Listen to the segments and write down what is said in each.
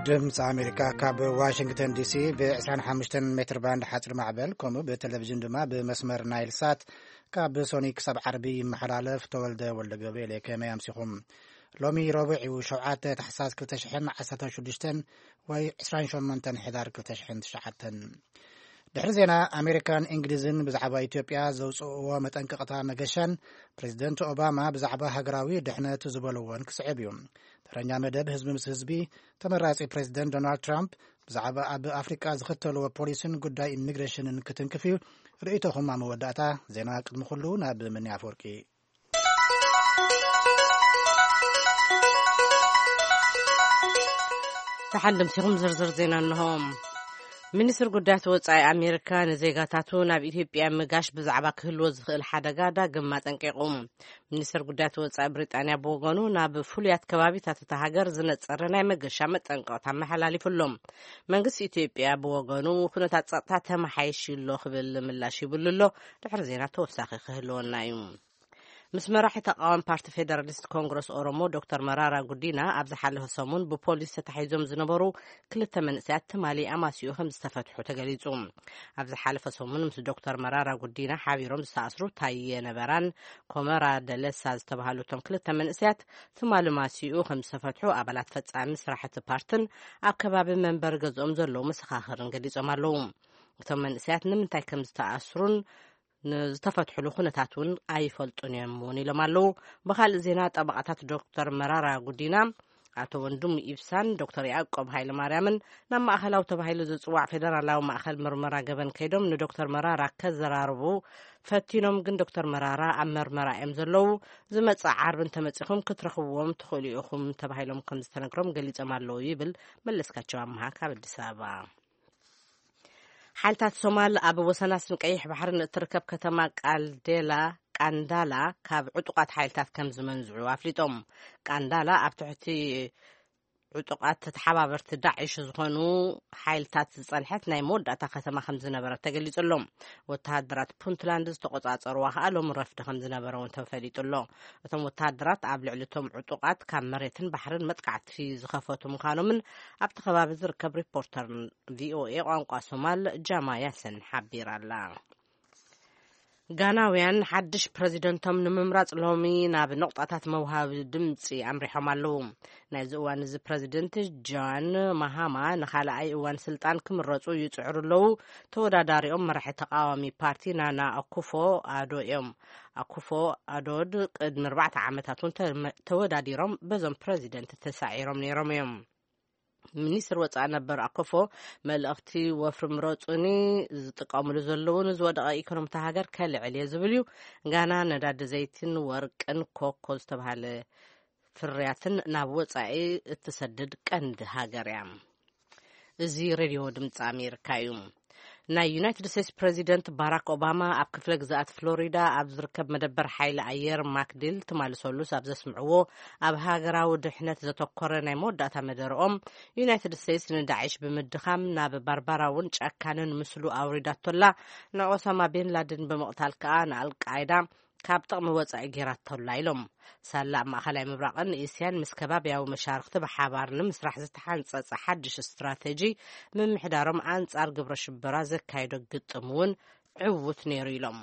ድምፂ ኣሜሪካ ካብ ዋሽንግተን ዲሲ ብ ዕስራን ሓሙሽተን ሜትር ባንድ ሓፂር ማዕበል፣ ከምኡ ብቴሌቪዥን ድማ ብመስመር ናይል ሳት ካብ ሶኒ ክሳብ ዓርቢ ይመሓላለፍ። ተወልደ ወልደ ገብርኤል እየ። ከመይ ኣምሲኹም? ሎሚ ረቡዕ እዩ፣ ሸውዓተ ታሕሳስ ክልተ ሽሕን ዓሰርተ ሽዱሽተን ወይ ዕስራን ሸሞንተን ሕዳር ክልተ ሽሕን ትሽዓተን። ድሕሪ ዜና ኣሜሪካን እንግሊዝን ብዛዕባ ኢትዮጵያ ዘውፅእዎ መጠንቀቕታ መገሻን ፕሬዚደንት ኦባማ ብዛዕባ ሃገራዊ ድሕነት ዝበልዎን ክስዕብ እዩ። ተረኛ መደብ ህዝቢ ምስ ህዝቢ፣ ተመራጺ ፕሬዚደንት ዶናልድ ትራምፕ ብዛዕባ ኣብ ኣፍሪቃ ዝኽተልዎ ፖሊሲን ጉዳይ ኢሚግሬሽንን ክትንክፍ እዩ። ርእይቶኹም ኣብ መወዳእታ ዜና። ቅድሚ ኩሉ ናብ ምኒ ኣፈወርቂ። ተሓንድምሲኹም ዝርዝር ዜና እንሆ። ሚኒስትር ጉዳያት ወጻኢ ኣሜሪካ ንዜጋታቱ ናብ ኢትዮጵያ ምጋሽ ብዛዕባ ክህልዎ ዝኽእል ሓደጋ ዳግም ኣጠንቂቑ። ሚኒስትር ጉዳያት ወጻኢ ብሪጣንያ ብወገኑ ናብ ፍሉያት ከባቢታት እታ ሃገር ዝነጸረ ናይ መገሻ መጠንቀቕታ ኣመሓላሊፉ ኣሎ። መንግስቲ ኢትዮጵያ ብወገኑ ኩነታት ጸጥታ ተመሓይሽ ኣሎ ክብል ምላሽ ይብሉ ኣሎ። ድሕሪ ዜና ተወሳኺ ክህልወና እዩ። ምስ መራሒ ተቃዋሚ ፓርቲ ፌደራሊስት ኮንግረስ ኦሮሞ ዶክተር መራራ ጉዲና ኣብ ዝሓለፈ ሰሙን ብፖሊስ ተታሒዞም ዝነበሩ ክልተ መንእሰያት ትማሊ ኣማሲኡ ከም ዝተፈትሑ ተገሊጹ። ኣብ ዝሓለፈ ሰሙን ምስ ዶክተር መራራ ጉዲና ሓቢሮም ዝተኣስሩ ታየ ነበራን ኮመራ ደለሳ ዝተባሃሉ እቶም ክልተ መንእሰያት ትማሊ ማሲኡ ከም ዝተፈትሑ ኣባላት ፈጻሚ ስራሕ እቲ ፓርትን ኣብ ከባቢ መንበሪ ገዝኦም ዘለዉ መሰኻኽርን ገሊጾም ኣለዉ። እቶም መንእሰያት ንምንታይ ከም ዝተኣስሩን ንዝተፈትሕሉ ኩነታት እውን ኣይፈልጡን እዮም እውን ኢሎም ኣለዉ። ብኻልእ ዜና፣ ጠበቓታት ዶክተር መራራ ጉዲና ኣቶ ወንድሙ ኢብሳን ዶክተር ያዕቆብ ሃይለማርያምን ናብ ማእኸላዊ ተባሂሉ ዝጽዋዕ ፌደራላዊ ማእኸል ምርመራ ገበን ከይዶም ንዶክተር መራራ ከዘራርቡ ፈቲኖም፣ ግን ዶክተር መራራ ኣብ መርመራ እዮም ዘለዉ። ዝመጽእ ዓርቢ እንተመጺኹም ክትረኽብዎም ትኽእሉ ኢኹም ተባሂሎም ከም ዝተነግሮም ገሊጾም ኣለዉ ይብል መለስካቸው ኣምሃ ካብ ኣዲስ ኣበባ። ሓይልታት ሶማል ኣብ ወሰናስን ቀይሕ ባሕርን እትርከብ ከተማ ቃልዴላ፣ ቃንዳላ ካብ ዕጡቓት ሓይልታት ከም ዝመንዝዑ ኣፍሊጦም። ቃንዳላ ኣብ ትሕቲ ዕጡቓት ተሓባበርቲ ዳዕሽ ዝኾኑ ሓይልታት ዝጸንሐት ናይ መወዳእታ ከተማ ከም ዝነበረት ተገሊጹ ኣሎ። ወተሃደራት ፑንትላንድ ዝተቖጻጸርዋ ከኣ ሎሚ ረፍዲ ከም ዝነበረ እውን ተፈሊጡ ኣሎ። እቶም ወተሃደራት ኣብ ልዕሊ እቶም ዕጡቓት ካብ መሬትን ባሕርን መጥቃዕቲ ዝኸፈቱ ምዃኖምን ኣብቲ ከባቢ ዝርከብ ሪፖርተር ቪኦኤ ቋንቋ ሶማል ጃማ ያሰን ሓቢራ ኣላ። ጋናውያን ሓድሽ ፕረዚደንቶም ንምምራጽ ሎሚ ናብ ነቑጣታት መውሃቢ ድምጺ ኣምሪሖም ኣለዉ። ናይዚ እዋን እዚ ፕረዚደንት ጃን ማሃማ ንኻልኣይ እዋን ስልጣን ክምረጹ ይጽዕሩ ኣለዉ። ተወዳዳሪኦም መራሒ ተቃዋሚ ፓርቲ ናና ኣኩፎ ኣዶ እዮም። ኣኩፎ ኣዶድ ቅድሚ ኣርባዕተ ዓመታት እውን ተመ-፣ ተወዳዲሮም በዞም ፕረዚደንት ተሳዒሮም ነይሮም እዮም። ሚኒስትር ወጻኢ ነበር ኣኮፎ፣ መልእኽቲ ወፍሪ ምረጹኒ ዝጥቀሙሉ ዘለዉ ንዝወደቐ ኢኮኖሚ እታ ሃገር ከልዕል እየ ዝብል እዩ። ጋና ነዳዲ ዘይትን ወርቅን ኮኮ ዝተባሃለ ፍርያትን ናብ ወጻኢ እትሰድድ ቀንዲ ሃገር እያ። እዚ ሬድዮ ድምፂ ኣሜሪካ እዩ። ናይ ዩናይትድ ስቴትስ ፕረዚደንት ባራክ ኦባማ ኣብ ክፍለ ግዝኣት ፍሎሪዳ ኣብ ዝርከብ መደበር ሓይሊ ኣየር ማክዲል ትማሊ ሰሉስ ኣብ ዘስምዕዎ ኣብ ሃገራዊ ድሕነት ዘተኮረ ናይ መወዳእታ መደረኦም፣ ዩናይትድ ስቴትስ ንዳዕሽ ብምድኻም ናብ ባርባራውን ጨካንን ምስሉ ኣውሪዳቶላ፣ ንኦሳማ ቢን ላደን ብምቕታል ከኣ ንኣልቃይዳ ካብ ጥቕሚ ወጻኢ ጌራቶላ ኢሎም። ሳላ ኣብ ማእኸላይ ምብራቕን እስያን ምስ ከባብያዊ መሻርኽቲ ብሓባር ንምስራሕ ዝተሓንጸጸ ሓድሽ ስትራተጂ ምምሕዳሮም ኣንጻር ግብረ ሽበራ ዘካየዶ ግጥም እውን ዕዉት ነይሩ ኢሎም።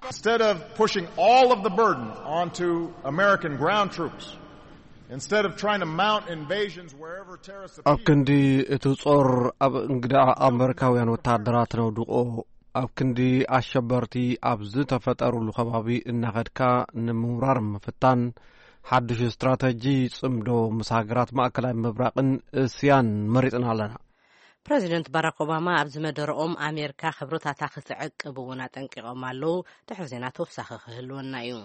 Instead of pushing all of the burden onto American ground troops, instead of trying to mount invasions wherever terrorists ኣብ appear, ክንዲ እቲ ጾር ኣብ እንግዳ ኣመሪካውያን ወተሃደራት ነውድቆ፣ ኣብ ክንዲ ኣሸበርቲ ኣብ ዝተፈጠሩሉ ከባቢ እናኸድካ ንምውራር ምፍታን፣ ሓድሽ ስትራተጂ ጽምዶ ምስ ሃገራት ማእከላይ ምብራቕን እስያን መሪጽና ኣለና። ፕረዚደንት ባራክ ኦባማ ኣብዚ መደረኦም፣ ኣሜሪካ ክብርታታ ክትዕቅብ እውን ኣጠንቂቖም ኣለዉ። ድሕሪ ዜና ተወሳኺ ክህልወና እዩ።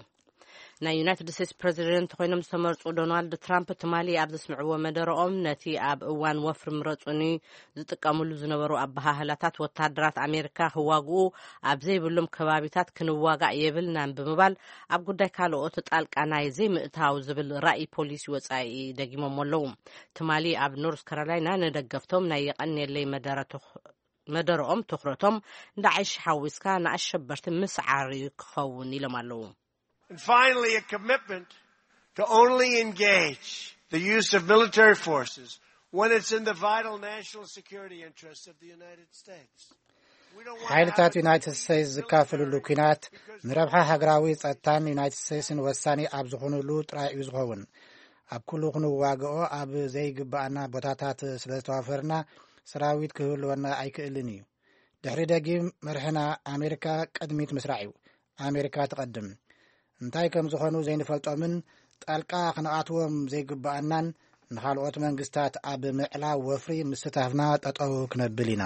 ናይ ዩናይትድ ስቴትስ ፕረዚደንት ኮይኖም ዝተመርጹ ዶናልድ ትራምፕ ትማሊ ኣብ ዘስምዕዎ መደረኦም፣ ነቲ ኣብ እዋን ወፍሪ ምረጹኒ ዝጥቀምሉ ዝነበሩ ኣበሃህላታት፣ ወታደራት ኣሜሪካ ክዋግኡ ኣብ ዘይብሎም ከባቢታት ክንዋጋእ የብልናን ብምባል፣ ኣብ ጉዳይ ካልኦት ጣልቃ ናይ ዘይምእታው ዝብል ራእይ ፖሊሲ ወጻኢ ደጊሞም ኣለዉ። ትማሊ ኣብ ኖርዝ ካሮላይና ንደገፍቶም ናይ የቐንየለይ መደረ ትኽ-፣ መደረኦም ትኹረቶም ዳዕሽ ሓዊስካ ንኣሸበርቲ ምስዓር ክኸውን ኢሎም ኣለዉ። And finally, a commitment to only engage the use of military forces When it's in the vital national security interest of the United States. We don't want to ሓይልታት have a ዩናይትድ ስቴትስ ዝካፈልሉ ኲናት ንረብሓ ሃገራዊ ጸጥታን ዩናይትድ ስቴትስን ወሳኒ ኣብ ዝኾኑሉ ጥራይ እዩ ዝኸውን። ኣብ ኩሉ ክንዋግኦ ኣብ ዘይግባኣና ቦታታት ስለ ዝተዋፈርና ሰራዊት ክህልወና ኣይክእልን እዩ። ድሕሪ ደጊም መርሕና ኣሜሪካ ቅድሚት ምስራዕ እዩ። ኣሜሪካ ትቐድም። እንታይ ከም ዝኾኑ ዘይንፈልጦምን ጣልቃ ክንኣትዎም ዘይግባኣናን ንኻልኦት መንግስታት ኣብ ምዕላው ወፍሪ ምስታፍና ጠጠው ክነብል ኢና።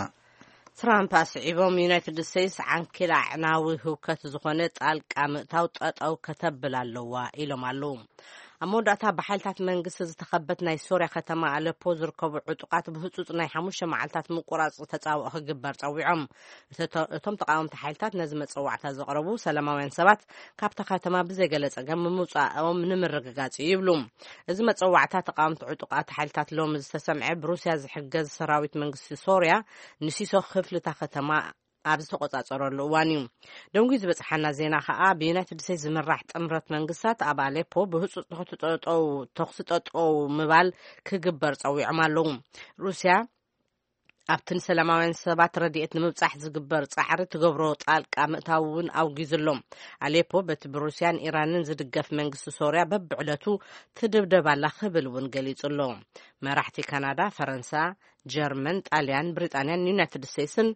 ትራምፕ ኣስዒቦም ዩናይትድ ስቴትስ ዓንኬል ኣዕናዊ ህውከት ዝኾነ ጣልቃ ምእታው ጠጠው ከተብል ኣለዋ ኢሎም ኣለዉ። ኣብ መወዳእታ ብሓይልታት መንግስቲ ዝተኸበት ናይ ሶርያ ከተማ ኣለፖ ዝርከቡ ዕጡቓት ብህጹጽ ናይ ሓሙሽተ መዓልታት ምቁራጽ ተጻብኦ ክግበር ጸዊዖም። እተቶ-፣ እቶም ተቃወምቲ ሓይልታት ነዚ መጸዋዕታ ዘቕረቡ ሰላማውያን ሰባት ካብታ ከተማ ብዘይገለ ጸገም ምውጻኦም ንምርግጋጽ እዩ ይብሉ። እዚ መጸዋዕታ ተቃወምቲ ዕጡቓት ሓይልታት ሎሚ ዝተሰምዐ ብሩስያ ዝሕገዝ ሰራዊት መንግስቲ ሶርያ ንሲሶ ክፍልታ ከተማ ኣብ ዝተቆጻጸረሉ እዋን እዩ። ደንጉዩ ዝበጽሓና ዜና ከኣ ብዩናይትድ ስቴትስ ዝምራሕ ጥምረት መንግስታት ኣብ ኣሌፖ ብህጹጽ ተኹሲ ጠጠው፣ ተኹሲ ጠጠው ምባል ክግበር ጸዊዖም ኣለዉ። ሩስያ ኣብቲ ንሰላማውያን ሰባት ረድኤት ንምብጻሕ ዝግበር ጻዕሪ ትገብሮ ጣልቃ ምእታው እውን ኣውጊዙ ኣሎ። ኣሌፖ በቲ ብሩስያን ኢራንን ዝድገፍ መንግስቲ ሶርያ በብዕለቱ ትድብደብ ኣላ ክብል እውን ገሊጹ ኣሎ። መራሕቲ ካናዳ፣ ፈረንሳ፣ ጀርመን፣ ጣልያን፣ ብሪጣንያን ዩናይትድ ስቴትስን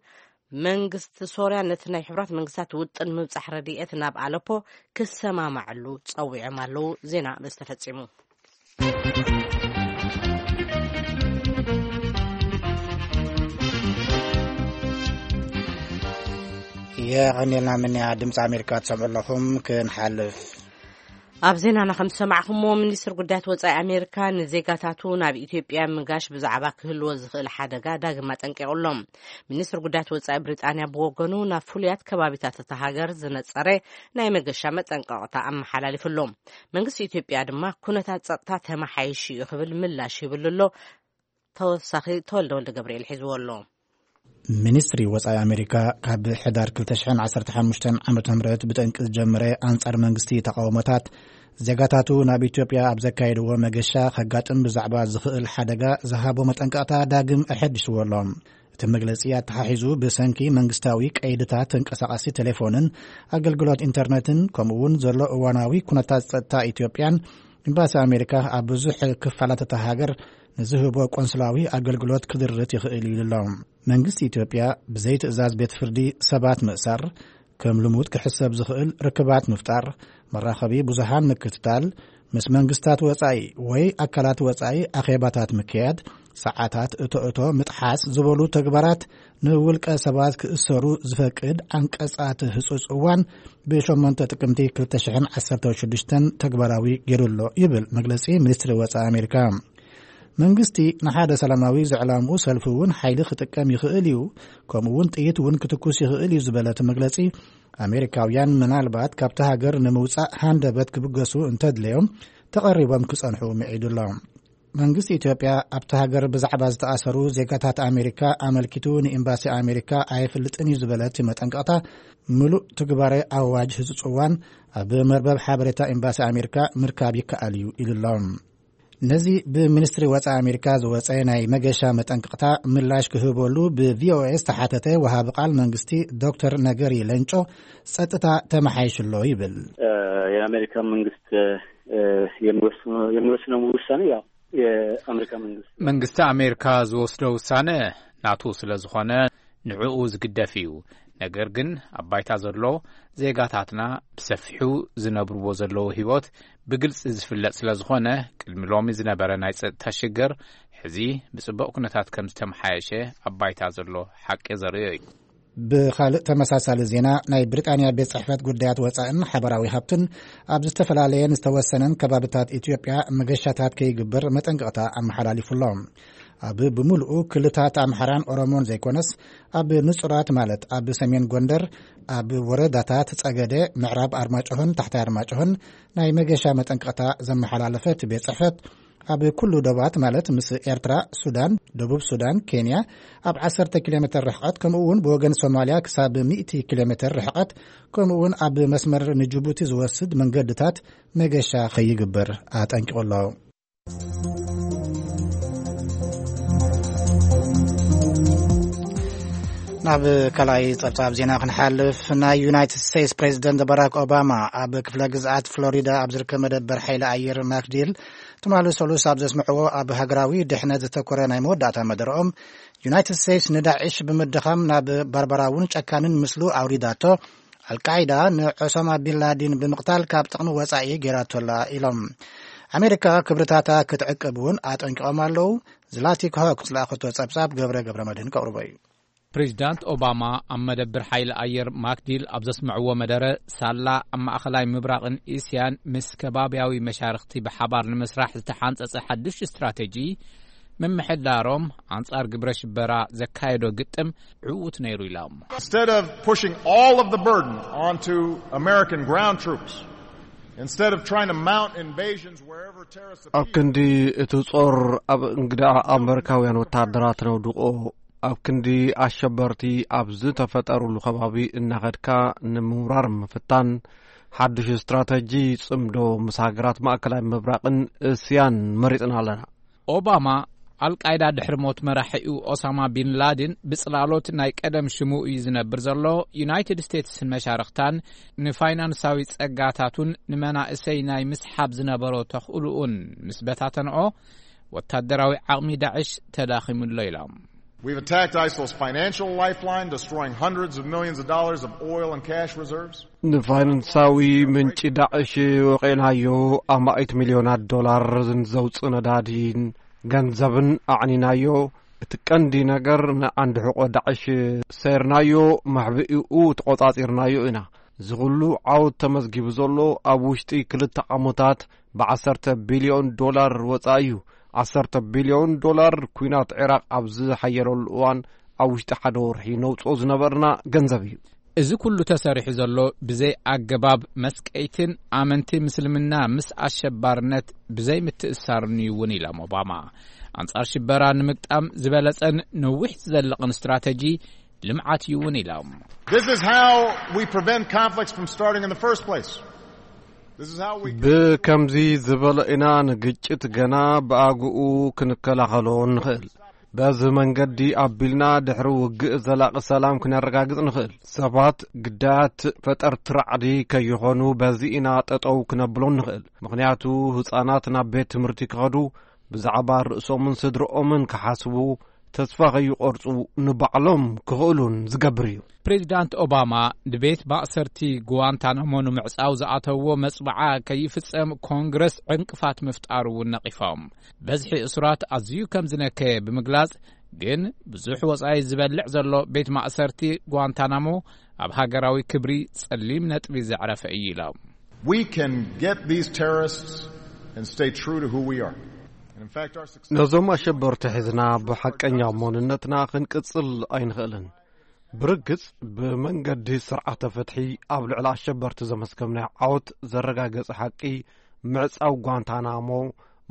መንግስቲ ሶርያ ነቲ ናይ ሕቡራት መንግስታት ውጥን ምብጻሕ ረድኤት ናብ ኣለፖ ክሰማማዕሉ ጸዊዖም ኣለዉ። ዜና በዚ ተፈጺሙ። የቐኔልና ምንያ ድምፂ ኣሜሪካ ትሰምዑ ኣለኹም። ክንሓልፍ ኣብ ዜናና ከም ዝሰማዕኹምዎ፣ ሚኒስትር ጉዳያት ወጻኢ ኣሜሪካ ንዜጋታቱ ናብ ኢትዮጵያ ምጋሽ ብዛዕባ ክህልዎ ዝኽእል ሓደጋ ዳግም ኣጠንቂቑ ኣሎ። ሚኒስትር ጉዳያት ወጻኢ ብሪጣንያ ብወገኑ ናብ ፍሉያት ከባቢታት እታ ሃገር ዝነጸረ ናይ መገሻ መጠንቀቕታ ኣመሓላሊፉ ኣሎ። መንግስቲ ኢትዮጵያ ድማ ኩነታት ጸጥታ ተመሓይሹ እዩ ክብል ምላሽ ይብሉ ኣሎ። ተወሳኺ ተወልደ ወልደ ገብርኤል ሒዝዎ ኣሎ። ሚኒስትሪ ወጻኢ ኣሜሪካ ካብ ሕዳር ክልተ ሽሕን ዓሰርተ ሓሙሽተን ዓመተ ምህረት ብጠንቂ ዝጀመረ ኣንጻር መንግስቲ ተቃውሞታት ዜጋታቱ ናብ ኢትዮጵያ ኣብ ዘካየድዎ መገሻ ከጋጥም ብዛዕባ ዝኽእል ሓደጋ ዝሃቦ መጠንቀቕታ ዳግም ኣሐዲስዎ ኣሎ። እቲ መግለጺ ኣተሓሒዙ ብሰንኪ መንግስታዊ ቀይድታት ተንቀሳቃሲ ቴሌፎንን ኣገልግሎት ኢንተርነትን ከምኡ እውን ዘሎ እዋናዊ ኩነታት ጸጥታ ኢትዮጵያን ኤምባሲ ኣሜሪካ ኣብ ብዙሕ ክፋላት እታ ሃገር ንዝህቦ ቆንስላዊ ኣገልግሎት ክድርት ይኽእል እዩ ኢሉ ኣሎ። መንግስቲ ኢትዮጵያ ብዘይ ትእዛዝ ቤት ፍርዲ ሰባት ምእሳር፣ ከም ልሙድ ክሕሰብ ዝኽእል ርክባት ምፍጣር፣ መራኸቢ ብዙሃን ምክትታል፣ ምስ መንግስታት ወጻኢ ወይ ኣካላት ወጻኢ ኣኼባታት ምክያድ፣ ሰዓታት እቶ እቶ ምጥሓስ ዝበሉ ተግባራት ንውልቀ ሰባት ክእሰሩ ዝፈቅድ ዓንቀጻት ህጹጽ እዋን ብሸሞንተ ጥቅምቲ ክልተ ሽሕን ዓሰርተ ሽዱሽተን ተግባራዊ ገይሩ ኣሎ ይብል መግለጺ ሚኒስትሪ ወጻኢ ኣሜሪካ። መንግስቲ ንሓደ ሰላማዊ ዘዕላምኡ ሰልፊ እውን ሓይሊ ክጥቀም ይኽእል እዩ፣ ከምኡ እውን ጥይት እውን ክትኩስ ይኽእል እዩ ዝበለ እቲ መግለጺ፣ ኣሜሪካውያን ምናልባት ካብቲ ሃገር ንምውጻእ ሃንደበት ክብገሱ እንተድለዮም ተቐሪቦም ክጸንሑ ምዒዱ ኣሎ። መንግስቲ ኢትዮጵያ ኣብቲ ሃገር ብዛዕባ ዝተኣሰሩ ዜጋታት ኣሜሪካ ኣመልኪቱ ንኤምባሲ ኣሜሪካ ኣየፍልጥን እዩ ዝበለ እቲ መጠንቀቕታ፣ ምሉእ ትግባረ ኣዋጅ ህጹጽ እዋን ኣብ መርበብ ሓበሬታ ኤምባሲ ኣሜሪካ ምርካብ ይከኣል እዩ ኢሉ ኣሎ። ነዚ ብሚኒስትሪ ወጻኢ ኣሜሪካ ዝወጸ ናይ መገሻ መጠንቀቕታ ምላሽ ክህበሉ ብቪኦኤ ዝተሓተተ ወሃቢ ቃል መንግስቲ ዶክተር ነገሪ ለንጮ፣ ጸጥታ ተመሓይሹ ኣሎ ይብል። የአሜሪካ መንግስት የሚወስነው ውሳኔ ያው የአሜሪካ መንግስት መንግስቲ ኣሜሪካ ዝወስዶ ውሳነ ናቱ ስለ ዝኾነ ንዕኡ ዝግደፍ እዩ። ነገር ግን ኣብ ባይታ ዘሎ ዜጋታትና ብሰፊሑ ዝነብርዎ ዘለዉ ህይወት ብግልጺ ዝፍለጥ ስለ ዝኾነ፣ ቅድሚ ሎሚ ዝነበረ ናይ ጸጥታ ሽግር ሕዚ ብጽቡቕ ኩነታት ከም ዝተመሓየሸ ኣብ ባይታ ዘሎ ሓቂ ዘርእዮ እዩ። ብኻልእ ተመሳሳሊ ዜና፣ ናይ ብሪጣንያ ቤት ጽሕፈት ጉዳያት ወጻእን ሓበራዊ ሃብትን ኣብ ዝተፈላለየን ዝተወሰነን ከባብታት ኢትዮጵያ መገሻታት ከይግበር መጠንቀቕታ ኣመሓላሊፉ ኣሎ። ኣብ ብምሉኡ ክልታት ኣምሓራን ኦሮሞን ዘይኮነስ፣ ኣብ ንጹራት ማለት ኣብ ሰሜን ጎንደር፣ ኣብ ወረዳታት ጸገደ፣ ምዕራብ ኣርማጭሆን ታሕታይ ኣርማጭሆን ናይ መገሻ መጠንቀቕታ ዘመሓላለፈ እቲ ቤት ጽሕፈት፣ ኣብ ኩሉ ዶባት ማለት ምስ ኤርትራ፣ ሱዳን፣ ደቡብ ሱዳን፣ ኬንያ ኣብ ዓሰርተ ኪሎ ሜትር ርሕቀት፣ ከምኡ እውን ብወገን ሶማልያ ክሳብ ሚእቲ ኪሎ ሜትር ርሕቀት፣ ከምኡ እውን ኣብ መስመር ንጅቡቲ ዝወስድ መንገድታት መገሻ ከይግበር ኣጠንቂቑ ኣሎ። ኣብ ካልኣይ ጸብጻብ ዜና ክንሓልፍ፣ ናይ ዩናይትድ ስቴትስ ፕሬዚደንት ባራክ ኦባማ ኣብ ክፍለ ግዝኣት ፍሎሪዳ ኣብ ዝርከብ መደበር ሓይሊ ኣየር ማክዲል ትማሊ ሰሉስ ኣብ ዘስምዕዎ ኣብ ሃገራዊ ድሕነት ዘተኮረ ናይ መወዳእታ መደረኦም፣ ዩናይትድ ስቴትስ ንዳዕሽ ብምድኻም ናብ ባርባራውን ጨካንን ምስሉ ኣውሪዳቶ፣ ኣልቃይዳ ንዖሳማ ቢን ላዲን ብምቕታል ካብ ጥቕሚ ወጻኢ ገይራቶላ ኢሎም። ኣሜሪካ ክብርታታ ክትዕቅብ እውን ኣጠንቂቖም ኣለዉ። ዝላቲክ ሆክ ዝለኣኸቶ ጸብጻብ ገብረ ገብረ መድህን ከቕርቦ እዩ። ፕሬዚዳንት ኦባማ ኣብ መደብር ሓይሊ ኣየር ማክዲል ኣብ ዘስምዕዎ መደረ፣ ሳላ ኣብ ማእኸላይ ምብራቕን እስያን ምስ ከባብያዊ መሻርኽቲ ብሓባር ንምስራሕ ዝተሓንጸጸ ሓድሽ ስትራተጂ ምምሕዳሮም ኣንጻር ግብረ ሽበራ ዘካየዶ ግጥም ዕዉት ነይሩ ኢሎም። Instead of pushing all of the burden onto American ground troops, instead of trying to mount invasions wherever terrorists ኣብ appear, ክንዲ እቲ ጾር ኣብ እንግዳ ኣመሪካውያን ወታደራት ነውድቆ፣ ኣብ ክንዲ ኣሸበርቲ ኣብ ዝተፈጠሩሉ ከባቢ እናኸድካ ንምውራር ምፍታን፣ ሓድሽ ስትራተጂ ጽምዶ ምስ ሃገራት ማእከላይ ምብራቕን እስያን መሪጽና ኣለና። ኦባማ፣ ኣልቃይዳ ድሕሪ ሞት መራሒኡ ኦሳማ ቢን ላዲን ብጽላሎት ናይ ቀደም ሽሙ እዩ ዝነብር ዘሎ፣ ዩናይትድ ስቴትስን መሻርኽታን ንፋይናንሳዊ ጸጋታቱን ንመናእሰይ ናይ ምስሓብ ዝነበሮ ተኽእልኡን ምስ በታተንኦ፣ ወታደራዊ ዓቕሚ ዳዕሽ ተዳኺሙሎ ኢሎም። We've attacked ISIL's financial lifeline, destroying hundreds of millions of dollars of oil and cash reserves. ንፋይናንሳዊ ምንጪ ዳዕሽ ወቒዕናዮ፣ ኣማኢት ሚልዮናት ዶላር ዘውፅእ ነዳዲን ገንዘብን ኣዕኒናዮ። እቲ ቀንዲ ነገር ንዓንዲ ሕቆ ዳዕሽ ሰይርናዮ፣ መሕብኢኡ ተቖጻጺርናዮ ኢና። እዚ ኩሉ ዓወት ተመዝጊቡ ዘሎ ኣብ ውሽጢ ክልተ ዓመታት ብዓሰርተ ቢልዮን ዶላር ወጻኢ እዩ። ዓሰርተ ቢልዮን ዶላር ኲናት ዒራቕ ኣብ ዝሓየለሉ እዋን ኣብ ውሽጢ ሓደ ወርሒ ነውጽኦ ዝነበርና ገንዘብ እዩ። እዚ ኩሉ ተሰሪሑ ዘሎ ብዘይ ኣገባብ መስቀይትን ኣመንቲ ምስልምና ምስ ኣሸባርነት ብዘይ ምትእሳርን እዩ እውን ኢሎም ኦባማ። ኣንጻር ሽበራ ንምግጣም ዝበለጸን ነዊሕ ዝዘልቕን ስትራተጂ ልምዓት እዩ እውን ኢሎም። This is how we prevent conflicts from starting in the first place. This is how we ብከምዚ ዝበለ ኢና ንግጭት ገና ብኣግኡ ክንከላኸሎ ንኽእል። በዚ መንገዲ ኣቢልና ድሕሪ ውግእ ዘላቒ ሰላም ክነረጋግጽ ንኽእል። ሰባት ግዳያት ፈጠርቲ ራዕዲ ከይኾኑ በዚ ኢና ጠጠው ክነብሎ ንኽእል። ምኽንያቱ ህጻናት ናብ ቤት ትምህርቲ ክኸዱ፣ ብዛዕባ ርእሶምን ስድርኦምን ክሓስቡ፣ ተስፋ ከይቆርጹ ንባዕሎም ክኽእሉን ዝገብር እዩ። ፕሬዚዳንት ኦባማ ንቤት ማእሰርቲ ጉዋንታናሞ ንምዕጻው ዝኣተዎ መጽብዓ ከይፍጸም ኮንግረስ ዕንቅፋት ምፍጣሩ እውን ነቒፎም። በዝሒ እሱራት ኣዝዩ ከም ዝነከየ ብምግላጽ፣ ግን ብዙሕ ወጻኢ ዝበልዕ ዘሎ ቤት ማእሰርቲ ጓንታናሞ ኣብ ሃገራዊ ክብሪ ጸሊም ነጥቢ ዘዕረፈ እዩ ኢሎም። We can get these terrorists and stay true to who we are. And in fact, our success ነዞም ኣሸበርቲ ሒዝና ብሓቀኛ መንነትና ክንቅጽል ኣይንኽእልን። ብርግጽ ብመንገዲ ስርዓተ ፍትሒ ኣብ ልዕሊ ኣሸበርቲ ዘመስከምናዮ ዓወት ዘረጋገጸ ሓቂ ምዕጻው ጓንታናሞ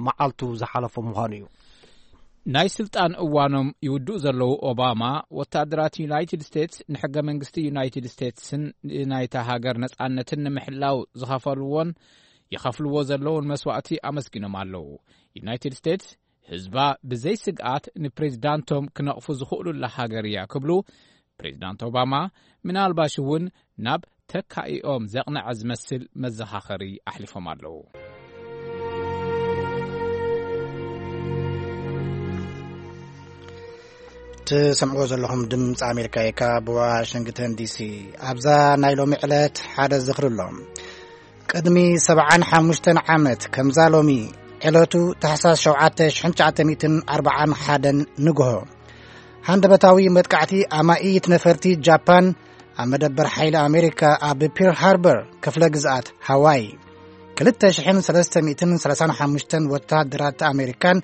መዓልቱ ዝሓለፎ ምዃኑ እዩ። ናይ ስልጣን እዋኖም ይውድኡ ዘለዉ ኦባማ፣ ወታደራት ዩናይትድ ስቴትስ ንሕገ መንግስቲ ዩናይትድ ስቴትስን ናይታ ሃገር ነጻነትን ንምሕላው ዝኸፈልዎን ይኸፍልዎ ዘለውን መስዋእቲ ኣመስጊኖም ኣለዉ። ዩናይትድ ስቴትስ ህዝባ ብዘይ ስግኣት ንፕሬዚዳንቶም ክነቕፉ ዝኽእሉላ ሃገር እያ ክብሉ ፕሬዚዳንት ኦባማ ምናልባሽ እውን ናብ ተካኢኦም ዘቕነዐ ዝመስል መዘኻኸሪ ኣሕሊፎም ኣለዉ። ትሰምዕዎ ዘለኹም ድምፂ ኣሜሪካ እዩ፣ ካብ ዋሽንግተን ዲሲ። ኣብዛ ናይ ሎሚ ዕለት ሓደ ዝኽሪ ኣሎ። ቅድሚ ሰብዓን ሓሙሽተን ዓመት ከምዛ ሎሚ ዕለቱ ታሕሳስ ሸውዓተ ሽሕን ትሽዓተ ሚእትን ኣርባዓን ሓደን ንግሆ፣ ሃንደበታዊ መጥቃዕቲ ኣማኢት ነፈርቲ ጃፓን ኣብ መደበር ሓይሊ ኣሜሪካ ኣብ ፒርል ሃርበር ክፍለ ግዝኣት ሃዋይ፣ ክልተ ሽሕን ሰለስተ ሚእትን ሰላሳን ሓሙሽተን ወታደራት ኣሜሪካን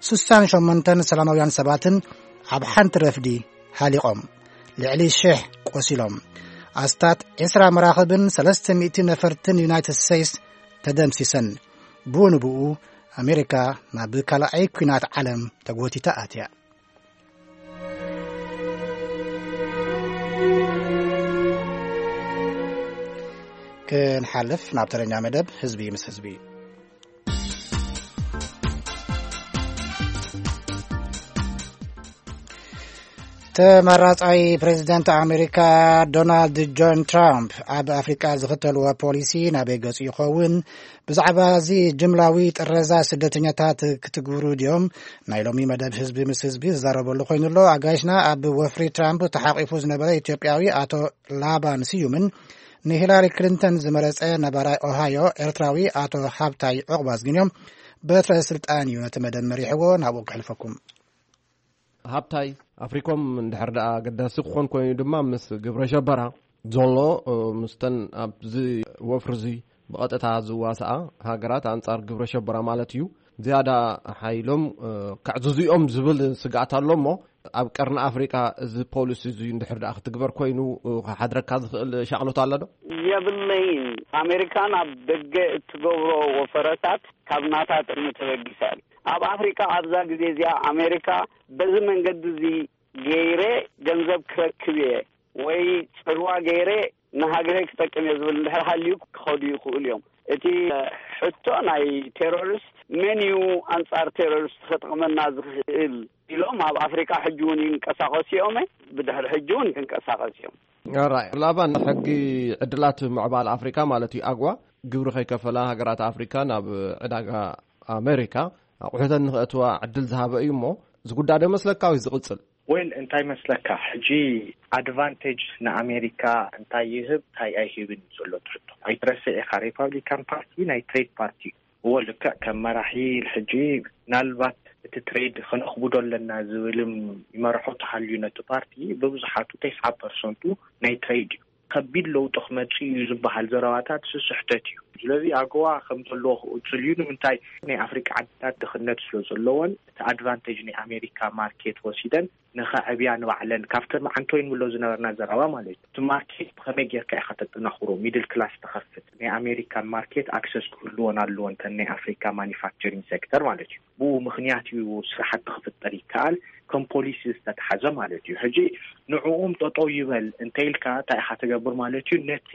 ሱሳን ሸሞንተን ሰላማውያን ሰባትን ኣብ ሓንቲ ረፍዲ ሃሊቖም። ልዕሊ ሽሕ ቆሲሎም። ኣስታት ዕስራ መራኽብን ሰለስተ ሚእቲ ነፈርትን ዩናይትድ ስቴትስ ተደምሲሰን። ብኡ ንብኡ ኣሜሪካ ናብ ካልኣይ ኲናት ዓለም ተጎቲታ ኣትያ። ክንሓልፍ ናብ ተረኛ መደብ ህዝቢ ምስ ህዝቢ። ተመራጻይ ፕሬዚደንት ኣሜሪካ ዶናልድ ጆን ትራምፕ ኣብ ኣፍሪቃ ዝኽተልዎ ፖሊሲ ናበይ ገጹ ይኸውን? ብዛዕባ እዚ ጅምላዊ ጥረዛ ስደተኛታት ክትግብሩ ድዮም? ናይ ሎሚ መደብ ህዝቢ ምስ ህዝቢ ዝዛረበሉ ኮይኑ ኣሎ። ኣጋይሽና ኣብ ወፍሪ ትራምፕ ተሓቂፉ ዝነበረ ኢትዮጵያዊ ኣቶ ላባን ስዩምን ንሂላሪ ክሊንተን ዝመረጸ ነባራይ ኦሃዮ ኤርትራዊ ኣቶ ሃብታይ ዑቕባዝግን እዮም። በትረ ስልጣን እዩ ነቲ መደብ መሪሕዎ። ናብኡ ክሕልፈኩም። ሃብታይ፣ ኣፍሪኮም እንድሕር ደኣ ኣገዳሲ ክኾን ኮይኑ ድማ ምስ ግብረ ሸበራ ዘሎ፣ እ፣ ምስተን ኣብዚ ወፍሪ እዚ ብቐጥታ ዝዋስኣ ሃገራት ኣንጻር ግብረ ሸበራ ማለት እዩ፣ ዝያዳ ሓይሎም፣ እ፣ ከዕዝዙ እዮም ዝብል ስግኣት ኣሎ እሞ፣ ኣብ ቀርኒ ኣፍሪቃ እዚ ፖሊሲ እዚ እንድሕር ደኣ ክትግበር ኮይኑ፣ እ፣ ክሓድረካ ዝኽእል ሻቕሎት ኣሎ ዶ? የብለይን። ኣሜሪካ ናብ ደገ እትገብሮ ወፈረታት ካብ ናታ ጥቕሚ ተበጊሳ እያ። ኣብ ኣፍሪካ ኣብዛ ግዜ እዚኣ ኣሜሪካ በዚ መንገዲ እዚ ገይረ ገንዘብ ክረክብ እየ ወይ ጽልዋ ገይረ ንሃገረይ ክጠቅም እየ ዝብል እንድሕር ሃልዩ ክኸዱ ይኽእሉ እዮም። እቲ ሕቶ ናይ ቴሮሪስት መን እዩ ኣንጻር ቴሮሪስት ክጠቕመና ዝኽእል ኢሎም ኣብ ኣፍሪካ ሕጂ እውን ይንቀሳቐሱ እዮም። ብድሕሪ ሕጂ እውን ክንቀሳቐስ እዮም። ራይ ላባን፣ ሕጊ ዕድላት ምዕባል ኣፍሪካ ማለት እዩ፣ ኣግዋ፣ ግብሪ ከይከፈላ ሃገራት ኣፍሪካ ናብ ዕዳጋ ኣሜሪካ ኣቑሑተን ንኽእትዋ ዕድል ዝሃበ እዩ እሞ፣ እዚ ጉዳይ ዶ መስለካ ወይ ዝቕጽል? ወይል፣ እንታይ መስለካ፣ ሕጂ ኣድቫንቴጅ ንኣሜሪካ እንታይ ይህብ እንታይ ኣይህብን እዩ ዘሎ ትሕቶ። ኣይትረስዕ ኢኻ፣ ሪፓብሊካን ፓርቲ ናይ ትሬድ ፓርቲ እዩ። እዎ፣ ልክዕ ከም መራሒ ሕጂ ምናልባት እቲ ትሬድ ከነኽብዶ ኣለና ዝብልም ይመርሖ ተሃልዩ ነቲ ፓርቲ፣ ብብዙሓቱ ተስዓ ፐርሰንቱ ናይ ትሬድ እዩ። ከቢድ ለውጢ ክመጽእ እዩ ዝበሃል ዘረባታት ስስሕተት እዩ። ስለዚ ኣገዋ ከም ዘለዎ ክቕጽል እዩ። ንምንታይ? ናይ ኣፍሪቃ ዓድታት ድኽነት ስለ ዘለዎን እቲ ኣድቫንቴጅ ናይ ኣሜሪካ ማርኬት ወሲደን ንኸዕብያ ንባዕለን ካብተን መዓንቶይን ብሎ ዝነበርና ዘረባ ማለት እዩ። እቲ ማርኬት ብኸመይ ጌርካ ኢኻ ተጠናኽሮ? ሚድል ክላስ ተኸፍት፣ ናይ ኣሜሪካን ማርኬት ኣክሰስ ክህልዎን ኣለዎን፣ ተን ናይ ኣፍሪካ ማኒፋክቸሪንግ ሴክተር ማለት እዩ። ብኡ ምኽንያት እዩ ስራሕቲ ክፍጠር ይከኣል፣ ከም ፖሊሲ ዝተትሓዘ ማለት እዩ። ሕጂ ንዕኡም ጠጠው ይበል እንተኢልካ እንታይ ኢኻ ትገብር ማለት እዩ? ነቲ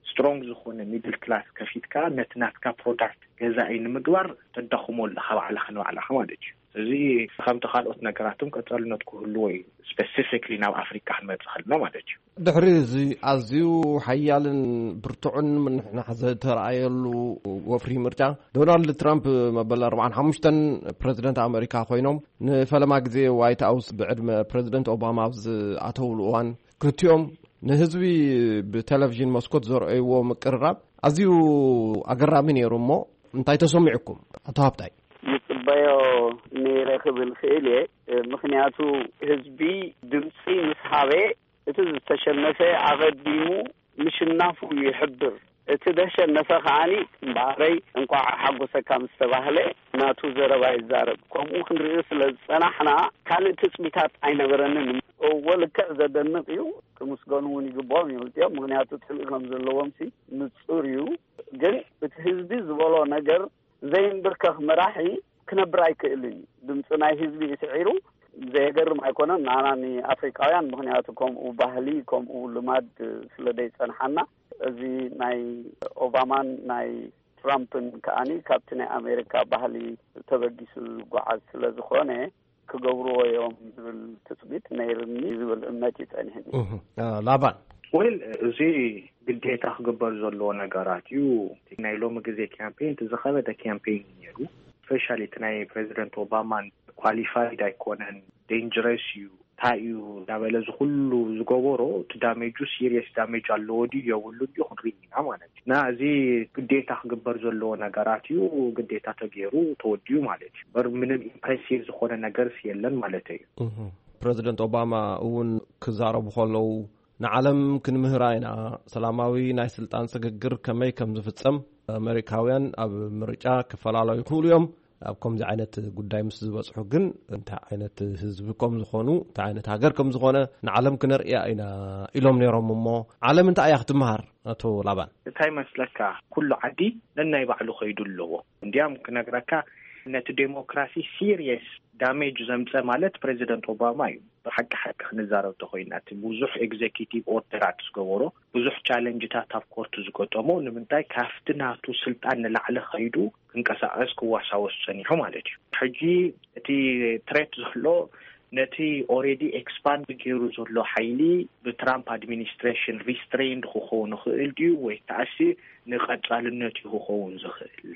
ስትሮንግ ዝኾነ ሚድል ክላስ ከፊትካ ነቲ ናትካ ፕሮዳክት ገዛኢ ንምግባር ተዳኽሞ ኣለኻ ባዕልኻ ንባዕልኻ ማለት እዩ። እዚ ከምቲ ካልኦት ነገራትም ቀጻልነት ክህልዎ እዩ፣ ስፔሲፊክሊ ናብ ኣፍሪካ ክንመጽእ ከለና ማለት እዩ። ድሕሪ እዚ ኣዝዩ ሓያልን ብርቱዕን ምንሕናሕ ዝተረኣየሉ ወፍሪ ምርጫ፣ ዶናልድ ትራምፕ መበል ኣርባዓን ሓሙሽተን ፕረዚደንት ኣሜሪካ ኮይኖም፣ ንፈለማ ግዜ ዋይት ሃውስ ብዕድመ ፕረዚደንት ኦባማ ኣብ ዝኣተውሉ እዋን፣ ክልቲኦም ንህዝቢ ብቴሌቪዥን መስኮት ዘርኣይዎ ምቅርራብ ኣዝዩ ኣገራሚ ነይሩ። እሞ እንታይ ተሰሚዑኩም? ኣቶ ሃብታይ። ይጽበዮ ነይረ ክብል ክእል እየ። ምኽንያቱ ህዝቢ ድምፂ ምስ ሃበ፣ እቲ ዝተሸነፈ ኣቐዲሙ ምሽናፉ ይሕብር። እቲ ደሸነፈ ከዓኒ እምበኣረይ እንቋዕ ሓጎሰካ ምስ ተባህለ ናቱ ዘረባ ይዛረብ። ከምኡ ክንርኢ ስለ ዝጸናሕና ካልእ ትጽቢታት ኣይነበረንን። እዎ ልክዕ ዘደንቕ እዩ። ክምስገኑ እውን ይግብኦም እዮም እዚኦም። ምኽንያቱ ጽልኢ ከም ዘለዎም ሲ ንጹር እዩ። ግን እቲ ህዝቢ ዝበሎ ነገር ዘይንብርከኽ መራሒ ክነብር ኣይክእልን እዩ። ድምፂ ናይ ህዝቢ እዩ ስዒሩ። ዘየገርም ኣይኮነን ንዓና ንኣፍሪቃውያን፣ ምኽንያቱ ከምኡ ባህሊ ከምኡ ልማድ ስለ ዘይጸንሓና። እዚ ናይ ኦባማን ናይ ትራምፕን ከኣኒ ካብቲ ናይ ኣሜሪካ ባህሊ ተበጊሱ ዝጓዓዝ ስለ ዝኾነ ክገብርዎ እዮም ዝብል ትጽቢት ነይርኒ ዝብል እምነት እዩ ጸኒሕኒ። እህ፣ አ፣ ላባን። ወይል፣ እዚ ግዴታ ክግበር ዘለዎ ነገራት እዩ። ናይ ሎሚ ግዜ ካምፔን እቲ ዝኸበደ ካምፔን እዩ ነይሩ። ስፔሻሊ እቲ ናይ ፕሬዚደንት ኦባማን ኳሊፋይድ ኣይኮነን፣ ዴንጀረስ እዩ፣ እንታይ እዩ እንዳበለ እዚ ኩሉ ዝገበሮ፣ እቲ ዳሜጁ ሲሪየስ ዳሜጅ ኣለዎ ድዩ የብሉን ድዩ ክንርኢ ኢና ማለት እዩ። እና እዚ ግዴታ ክግበር ዘለዎ ነገራት እዩ። ግዴታ ተገይሩ ተወዲኡ ማለት እዩ። በር ምንም ኢምፕሬሲቭ ዝኾነ ነገርስ የለን ማለት እዩ። እህ። ፕረዚደንት ኦባማ እውን ክዛረቡ ከለዉ፣ ንዓለም ክንምህራ ኢና፣ ሰላማዊ ናይ ስልጣን ስግግር ከመይ ከም ዝፍጸም፣ ኣመሪካውያን ኣብ ምርጫ ክፈላለዩ ይኽእሉ እዮም። ኣብ ከምዚ ዓይነት ጉዳይ ምስ ዝበጽሑ ግን እንታይ ዓይነት ህዝቢ ከም ዝኾኑ፣ እንታይ ዓይነት ሃገር ከም ዝኾነ ንዓለም ክነርእያ ኢና ኢሎም ነይሮም። እሞ ዓለም እንታይ እያ ክትመሃር? ኣቶ ላባን። እንታይ መስለካ፣ ኩሉ ዓዲ ነናይ ባዕሉ ከይዱ ኣለዎ። እንዲያም ክነግረካ፣ ነቲ ዴሞክራሲ ሲሪየስ ዳሜጅ ዘምፀ ማለት ፕሬዚደንት ኦባማ እዩ። ብሓቂ ሓቂ ክንዛረብ ተኮይና፣ እቲ ብዙሕ ኤግዜኪቲቭ ኦርደራት ዝገበሮ፣ ብዙሕ ቻለንጅታት ኣብ ኮርት ዝገጠሞ፣ ንምንታይ ካብቲ ናቱ ስልጣን ንላዕሊ ከይዱ ክንቀሳቀስ ክዋሳወስ ጸኒሑ ማለት እዩ። ሕጂ እቲ ትሬት ዘሎ ነቲ already expand ገይሩ ዘሎ ሓይሊ ብትራምፕ ኣድሚኒስትሬሽን ሪስትሬንድ ክኸውን ይኽእል ድዩ ወይ ከኣሲ ንቐጻልነት እዩ ክኸውን ዝኽእል?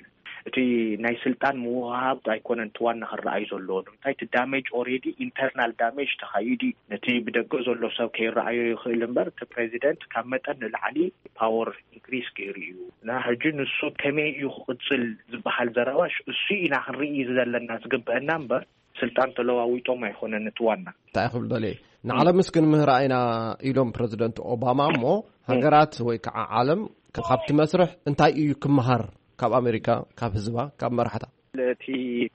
እቲ ናይ ስልጣን ምውሃብ ኣይኮነን እቲ ዋና ክረኣይ ዘለዎ። ንምንታይ እቲ ዳሜጅ already internal damage ተኻይዱ እዩ። ነቲ ብደገ ዘሎ ሰብ ከይረኣዮ ይኽእል እምበር እቲ ፕሬዚደንት ካብ መጠን ንላዕሊ ፓወር ኢንክሪስ ገይሩ እዩ። እና ሕጂ ንሱ ከመይ እዩ ክቕጽል ዝበሃል ዘረባሽ እሱ ኢና ክንርኢ ዘለና ዝግበአና እምበር ስልጣን ተለዋዊጦም ኣይኮነን እቲ ዋና። እንታይ ክብል ደልየ ንዓለም እስክን ምህራ ኢና ኢሎም ፕረዚደንት ኦባማ እሞ ሃገራት ወይ ከዓ ዓለም ካብቲ መስርሕ እንታይ እዩ ክመሃር ካብ ኣሜሪካ ካብ ህዝባ ካብ መራሕታ? እቲ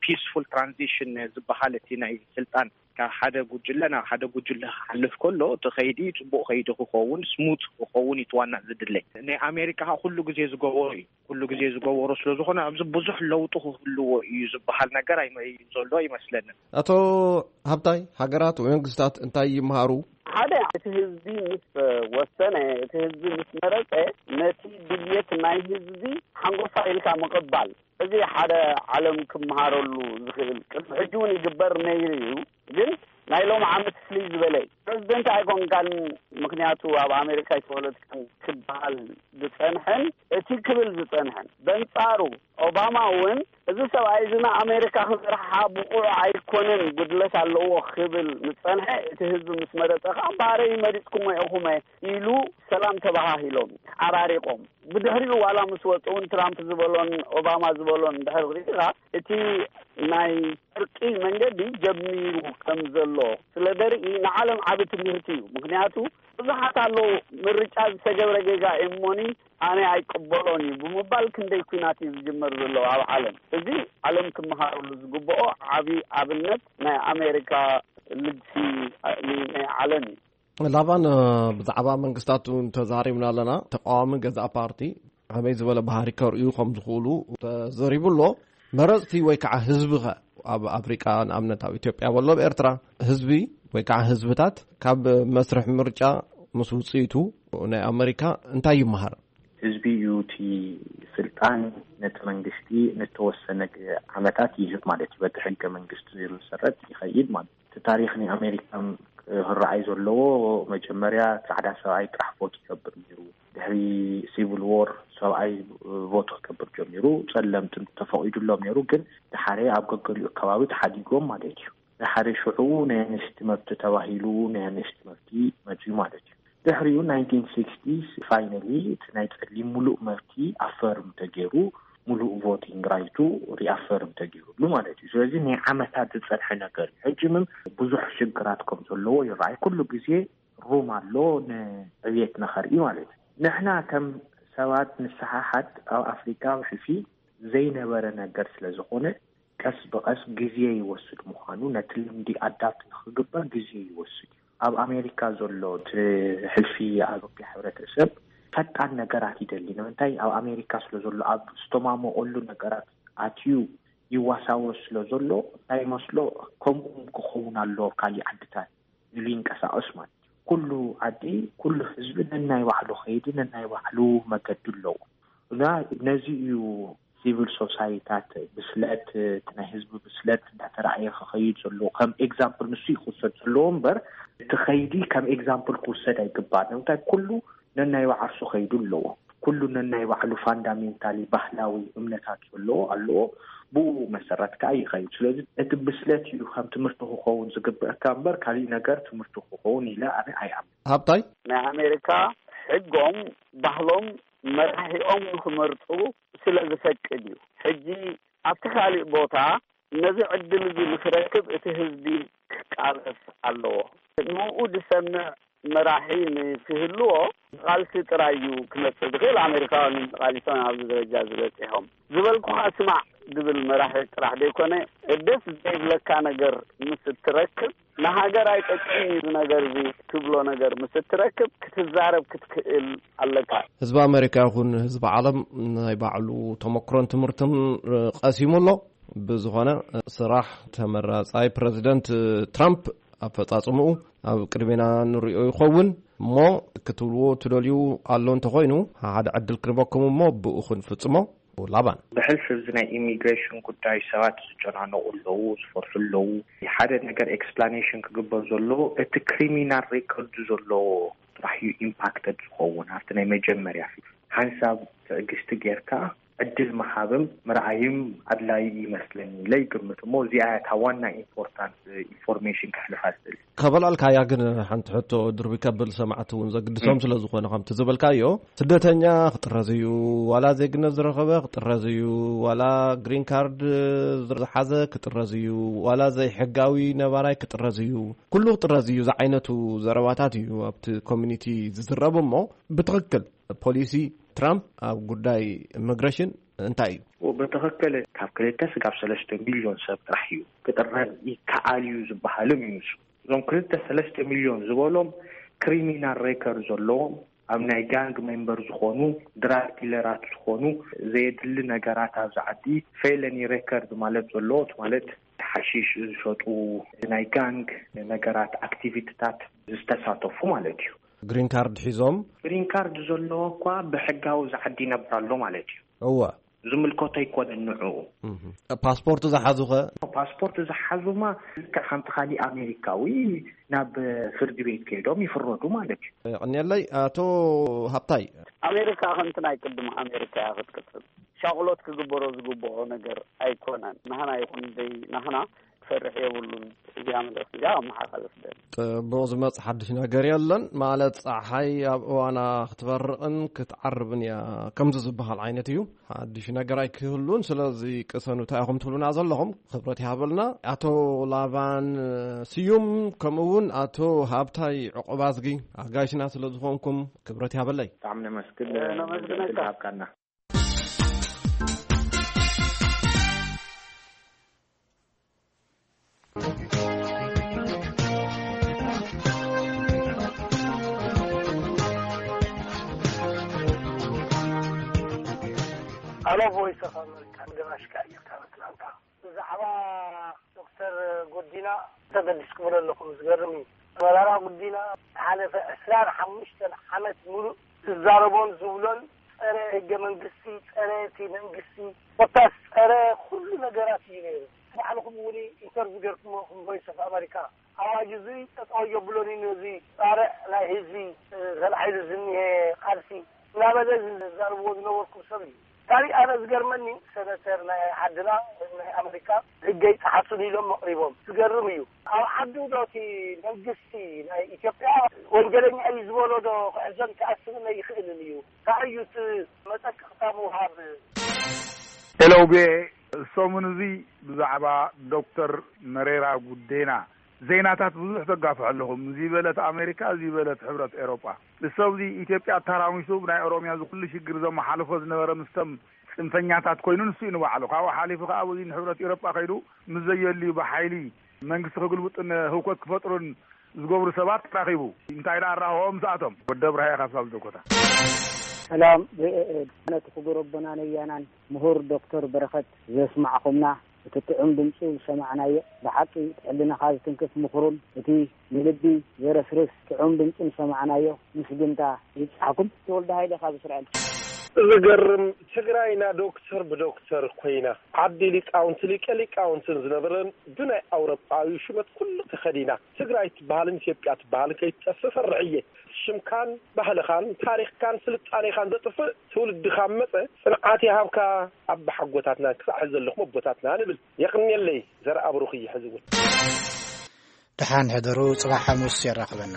ፒስፉል ትራንዚሽን ዝበሃል እቲ ናይ ስልጣን ካብ ሓደ ጉጅለ ናብ ሓደ ጉጅለ ክሓልፍ ከሎ እቲ ከይዲ ፅቡቅ ከይዲ ክኸውን ስሙት ክኸውን እዩ ዋና ዝድለ። ናይ ኣሜሪካ ከዓ ኩሉ ግዜ ዝገበሮ እዩ። ኩሉ ግዜ ዝገበሮ ስለ ዝኾነ ኣብዚ ብዙሕ ለውጢ ክህልዎ እዩ ዝበሃል ነገር ኣይመ- ዘሎ ኣይመስለንን። ኣቶ ሃብታይ፣ ሃገራት ወይ መንግስታት እንታይ ይምሃሩ? ሓደ እቲ ህዝቢ ምስ ወሰነ እቲ ህዝቢ ምስ መረፀ ነቲ ድልየት ናይ ህዝቢ ሓንጎፋ ኢልካ ምቕባል እዚ ሓደ ዓለም ክመሃረሉ ዝኽእል ቅድሚ ሕጂ እውን ይግበር ነይሩ እዩ። ግን ናይ ሎም ዓመት ፍልይ ዝበለ እዩ። ፕረዚደንት ኣይኮንካን። ምክንያቱ ኣብ ኣሜሪካ ኣይተወለድካን ክበሃል ዝፀንሐን እቲ ክብል ዝፀንሐን በንፃሩ ኦባማ እውን እዚ ሰብኣይ እዚ ንኣሜሪካ ክመርሓ ብቑዕ ኣይኮነን ጉድለት ኣለዎ ክብል ዝፀንሐ እቲ ህዝቢ ምስ መረፀ ከዓ ባረይ መሪፅኩሞ ኢኹመ ኢሉ ሰላም ተባሃሂሎም ተዓራሪቆም ብድሕሪኡ ዋላ ምስ ወፁ እውን ትራምፕ ዝበሎን ኦባማ ዝበሎን ድሕሪ ሪኢኻ እቲ ናይ ዕርቂ መንገዲ ጀሚሩ ከም ዘሎ ስለ ደርኢ ንዓለም ዓቢ ትምህርቲ እዩ። ምክንያቱ ብዙሓት ኣለዉ ምርጫ ዝተገብረ ጌጋ እሞኒ ኣነ ኣይቅበሎን እዩ ብምባል ክንደይ ኩናት እዩ ዝጅመር ዘሎ ኣብ ዓለም። እዚ ዓለም ክመሃረሉ ዝግብኦ ዓቢ ኣብነት ናይ ኣሜሪካ ልግሲ ናይ ዓለም እዩ። ላባን ብዛዕባ መንግስታት እውን ተዛሪብና ኣለና። ተቃዋሚ ገዛእ ፓርቲ ከመይ ዝበለ ባህሪ ከርእዩ ከም ዝኽእሉ ተዘሪቡ ኣሎ። መረፅቲ ወይ ከዓ ህዝቢ ኸ ኣብ ኣፍሪቃ ንኣብነት ኣብ ኢትዮጵያ በሎ ኣብ ኤርትራ ህዝቢ ወይ ከዓ ህዝብታት ካብ መስርሕ ምርጫ ምስ ውፅኢቱ ናይ ኣመሪካ እንታይ ይመሃር? ህዝቢ እዩ እቲ ስልጣን ነቲ መንግስቲ ንተወሰነ ዓመታት ይህብ ማለት እዩ። በቲ ሕገ መንግስቲ ዝመሰረት ይኸይድ ማለት እዩ። እቲ ታሪኽ ናይ ኣሜሪካ ክረኣይ ዘለዎ መጀመርያ ፃዕዳ ሰብኣይ ጥራሕ ቮት ይገብር ነይሩ። ድሕሪ ሲቪል ዎር ሰብኣይ ቮት ክገብር ጀሚሩ። ፀለምትን ተፈቒዱሎም ነይሩ፣ ግን ድሓረ ኣብ ገገሊኡ ከባቢ ተሓዲጎም ማለት እዩ። ድሓረ ሽዑ ናይ ኣንስቲ መብቲ ተባሂሉ ናይ ኣንስቲ መብቲ መፅዩ ማለት እዩ። ድሕሪኡ ናይንቲን ሲክስቲስ ፋይናሊ እቲ ናይ ፀሊም ሙሉእ መብቲ ኣፈርም ተገይሩ፣ ሙሉእ ቮቲንግ ራይቱ ሪኣፈርም ተገይሩሉ ማለት እዩ። ስለዚ ናይ ዓመታት ዝፀንሐ ነገር እዩ። ሕጂ ምን ብዙሕ ሽግራት ከም ዘለዎ ይረኣይ። ኩሉ ግዜ ሩም ኣሎ ንዕብየት ንኸርኢ ማለት እዩ። ንሕና ከም ሰባት ንሰሓሓት ኣብ ኣፍሪካ ብሕልፊ ዘይነበረ ነገር ስለ ዝኾነ ቀስ ብቐስ ግዜ ይወስድ ምዃኑ ነቲ ልምዲ ኣዳፕት ንክግበር ግዜ ይወስድ እዩ። ኣብ ኣሜሪካ ዘሎ እቲ ሕልፊ ኣብ ሕብረተሰብ ፈጣን ነገራት ይደሊ። ንምንታይ ኣብ ኣሜሪካ ስለ ዘሎ ኣብ ዝተማመቐሉ ነገራት ኣትዩ ይዋሳወስ ስለ ዘሎ እንታይ መስሎ ከምኡ ክኸውን ኣለዎ ኣብ ካሊእ ዓድታት ኢሉ ይንቀሳቐስ ማለት እዩ። ኩሉ ዓዲ ኩሉ ህዝቢ ነናይ ባዕሉ ከይዲ ነናይ ባዕሉ መገዲ ኣለዎ እና ነዚ እዩ ሲቪል ሶሳይታት ብስለት እቲ ናይ ህዝቢ ብስለት እንዳተረኣየ ክኸይድ ዘለዎ ከም ኤግዛምፕል ንሱ ይክወሰድ ዘለዎ እምበር እቲ ከይዲ ከም ኤግዛምፕል ክውሰድ ኣይግባእ። ንምንታይ ኩሉ ነናይ ባዕርሱ ከይዱ ኣለዎ። ኩሉ ነናይ ባዕሉ ፋንዳሜንታሊ ባህላዊ እምነታት ዘለዎ ኣለዎ። ብኡ መሰረት ከዓ ይኸይድ። ስለዚ እቲ ብስለት እዩ ከም ትምህርቲ ክኸውን ዝግብእካ እምበር ካሊእ ነገር ትምህርቲ ክኸውን ኢለ ኣነ ኣይኣምን። ሃብታይ ናይ ኣሜሪካ ሕጎም ባህሎም መራሒኦም ንክመርፁ ስለ ዝፈቅድ እዩ። ሕጂ ኣብቲ ካሊእ ቦታ ነዚ ዕድል እዚ ንክረክብ እቲ ህዝቢ ክቃለስ ኣለዎ። ንኡ ዝሰምዕ መራሒ ንክህልዎ ቃልሲ ጥራይ እዩ ክመፅእ ዝኽእል። ኣሜሪካውያን ተቃሊሶም ኣብዚ ደረጃ ዝበፂሖም ዝበልኩኻ ስማዕ ዝብል መራሒ ጥራሕ ዘይኮነ ደስ ዘይብለካ ነገር ምስ እትረክብ ንሃገር ኣይጠቅም እዩ ነገር እዚ ትብሎ ነገር ምስ እትረክብ ክትዛረብ ክትክእል ኣለካ። ህዝቢ ኣሜሪካ ይኹን ህዝቢ ዓለም ናይ ባዕሉ ተመክሮን ትምህርትን ቀሲሙ ኣሎ። ብዝኾነ ስራሕ ተመራጻይ ፕረዚደንት ትራምፕ ኣፈጻጽምኡ ኣብ ቅድሜና ንሪኦ ይኸውን እሞ ክትብልዎ ትደልዩ ኣሎ እንተኾይኑ ሓደ ዕድል ክንበኩም እሞ ብኡ ክንፍጽሞ። ላባን። ብሕልፊ እዚ ናይ ኢሚግሬሽን ጉዳይ ሰባት ዝጨናነቑ ኣለዉ፣ ዝፈርሑ ኣለዉ። ሓደ ነገር ኤክስፕላኔሽን ክግበር ዘለዎ፣ እቲ ክሪሚናል ሬኮርድ ዘለዎ ጥራሕ እዩ ኢምፓክትድ ዝኸውን። ኣብቲ ናይ መጀመርያ ፊት ሓንሳብ ትዕግስቲ ጌርካ ዕድል ምሃብም ምርኣይም ኣድላይ ይመስለኒ ኢለ ይግምት። እሞ እዚኣ እያ እታ ዋና ኢምፖርታንት ኢንፎርሜሽን ከሕልፋ ዝደሊ። ከበላልካያ ግን ሓንቲ ሕቶ ድርቢ ከብል ሰማዕቲ እውን ዘግድሶም ስለ ዝኾነ፣ ከምቲ ዝበልካዮ፣ ስደተኛ ክጥረዝ እዩ፣ ዋላ ዜግነት ዝረኸበ ክጥረዝ እዩ፣ ዋላ ግሪን ካርድ ዝሓዘ ክጥረዝ እዩ፣ ዋላ ዘይሕጋዊ ነባራይ ክጥረዝ እዩ፣ ኩሉ ክጥረዝ እዩ ዝዓይነቱ ዘረባታት እዩ ኣብቲ ኮሚኒቲ ዝዝረብ። እሞ ብትኽክል ፖሊሲ ትራምፕ ኣብ ጉዳይ ኢሚግሬሽን እንታይ እዩ? ብትኽክል ካብ ክልተ ስጋብ ሰለስተ ሚልዮን ሰብ ጥራሕ እዩ ክጥረዝ ይከኣል እዩ ዝበሃልም እዩ። ንሱ እዞም ክልተ ሰለስተ ሚልዮን ዝበሎም ክሪሚናል ሬከርድ ዘለዎም፣ ኣብ ናይ ጋንግ ሜምበር ዝኾኑ፣ ድራግ ዲለራት ዝኾኑ፣ ዘየድሊ ነገራት ኣብዚ ዓዲ፣ ፌለኒ ሬከርድ ማለት ዘለዎ፣ ማለት ሓሺሽ ዝሸጡ፣ ናይ ጋንግ ነገራት ኣክቲቪቲታት ዝተሳተፉ ማለት እዩ። ግሪን ካርድ ሒዞም? ግሪን ካርድ ዘለዎ እኳ ብሕጋዊ እዚ ዓዲ ይነብር ኣሎ ማለት እዩ። እወ። ዝምልከቶ ኣይኮነን ንዕኡ። እህ። ፓስፖርት ዝሓዙኸ? ፓስፖርት ዝሓዙማ ልክዕ ከምቲ ካሊእ ኣሜሪካዊ ናብ ፍርዲ ቤት ከይዶም ይፍረዱ ማለት እዩ። የቐንየለይ። ኣቶ ሃብታይ። ኣሜሪካ ከምቲ ናይ ቅድም ኣሜሪካ እያ ክትቅጽል። ሻቕሎት ክግበሮ ዝግብኦ ነገር ኣይኮነን። ናህና ይኹን ደይ ናህና ክፈርሕ የብሉን። እዚኣ መልእኽቲ እዚኣ ኣመሓላልፍ ደሊ። ጽቡቕ፣ ዝመጽእ ሓድሽ ነገር የለን። ማለት ጸሓይ ኣብ እዋና ክትበርቕን ክትዓርብን እያ ከምዚ ዝበሃል ዓይነት እዩ። ሓድሽ ነገር ኣይክህሉን። ስለዚ ቅሰኑ እንታይ ኢኹም ትብሉና ዘለኹም? ክብረት ይሃበልና። ኣቶ ላባን ስዩም፣ ከምኡ እውን ኣቶ ሃብታይ ዕቑባዝጊ፣ ኣጋይሽና ስለ ዝኾንኩም ክብረት ይሃበለይ። ብጣዕሚ ነመስግን። ነመስግነካ። ዕድል ሃብካና። ኣሎ ቮይስ ኦፍ ኣመሪካ፣ ገባሽካ እየካ ኣትላንታ። ብዛዕባ ዶክተር ጎዲና ተገዲስ ክብሎ ኣለኹ። ዝገርም እዩ። መራራ ጉዲና ዝሓለፈ ዕስራን ሓሙሽተን ዓመት ሙሉእ ዝዛረቦን ዝብሎን ጸረ ህገ መንግስቲ፣ ጸረ እቲ መንግስቲ፣ ኮታስ ጸረ ኩሉ ነገራት እዩ ነይሩ። ባዕልኹም እውን ኢንተርቪው ገርኩሞ፣ ኩም ቮይስ ኦፍ ኣመሪካ። ኣዋጅ እዚ ጠጠው የብሎን እዩ። ነዚ ጻርዕ ናይ ህዝቢ፣ እ፣ ተላዒሉ ዝኒሀ ቃልሲ እናበለ ዝዛረብዎ ዝነበርኩም ሰብ እዩ። ካሊእ ኣነ ዝገርመኒ፣ ሰነተር ናይ ዓድና፣ ናይ ኣመሪካ፣ ህገ ይጠሓሱን ኢሎም መቕሪቦም። ዝገርም እዩ። ኣብ ዓዱ ዶ እቲ መንግስቲ ናይ ኢትዮጵያ ወንጀለኛ እዩ ዝበሎ ዶ ክሕዞን ክኣስርን ኣይኽእልን እዩ? እንታይ እዩ እቲ መጠንቀቕታ ምውሃብ? ኤሎቤ፣ ሰሙን እዚ ብዛዕባ ዶክተር መሬራ ጉዴና ዜናታት ብዙሕ ተጋፍሑ ኣለኹም። እዚ በለት ኣሜሪካ፣ እዚ በለት ሕብረት ኤሮጳ። ንሰብ እዚ ኢትዮጵያ ኣተራሚሱ ብናይ ኦሮምያ እዚ ኩሉ ሽግር ዘመሓልፎ ዝነበረ ምስቶም ጽንፈኛታት ኮይኑ ንሱ እዩ ንባዕሉ። ካብኡ ሓሊፉ ከኣ ኣብዚ ንሕብረት ኤሮጳ ከይዱ ምስ ዘየድልዩ ብሓይሊ መንግስቲ ክግልብጡን ህውከት ክፈጥሩን ዝገብሩ ሰባት ተራኺቡ። እንታይ ደኣ ኣራኽቦ ምስኣቶም? ወዲ ኣብርሃ ኢኻ ካብ ሳልዶ ኮታ። ሰላም፣ ቪኦኤ። ነቲ ክቡር ኣቦና ነያናን ምሁር ዶክተር በረኸት ዘስማዕኹምና፣ እቲ ጥዑም ድምጹ ዝሰማዕናዮ፣ ብሓቂ እቲ ሕልናኻ ዝትንክፍ ምኽሩን እቲ ንልቢ ዘረስርስ ጥዑም ድምጹን ዝሰማዕናዮ፣ ምስግንታ ይብጻሕኩም። ተወልደ ሃይለ ካብ እስራኤል። ዝገርም፣ ትግራይና ዶክተር ብዶክተር ኮይና፣ ዓዲ ሊቃውንቲ ሊቀ ሊቃውንትን ዝነበረን ብናይ ኣውሮጳዊ ሹመት ኩሉ ተኸዲና፣ ትግራይ ትበሃልን ኢትዮጵያ ትበሃልን ከይትጠፍእ ፈርሕ እየ። ሽምካን ባህልኻን ታሪኽካን ስልጣኔኻን ዘጥፍእ ትውልዲ ካብ መጸ፣ ጽንዓት ይሃብካ ኣባሓጎታትናን ክሳዕ ሕዚ ዘለኹም ኣቦታትና ንብል። የቕንየለይ። ዘርኣ ብሩኽ እየ ሕዚ እውን። ደሓን ሕደሩ፣ ጽባሕ ሓሙስ የራኽበና።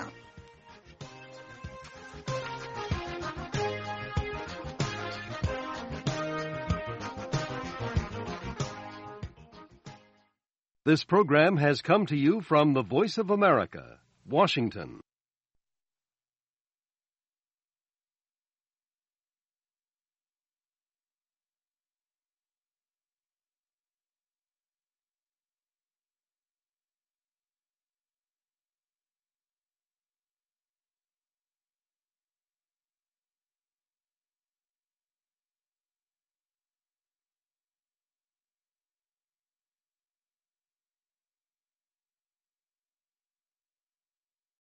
This program has come to you from the Voice of America, Washington.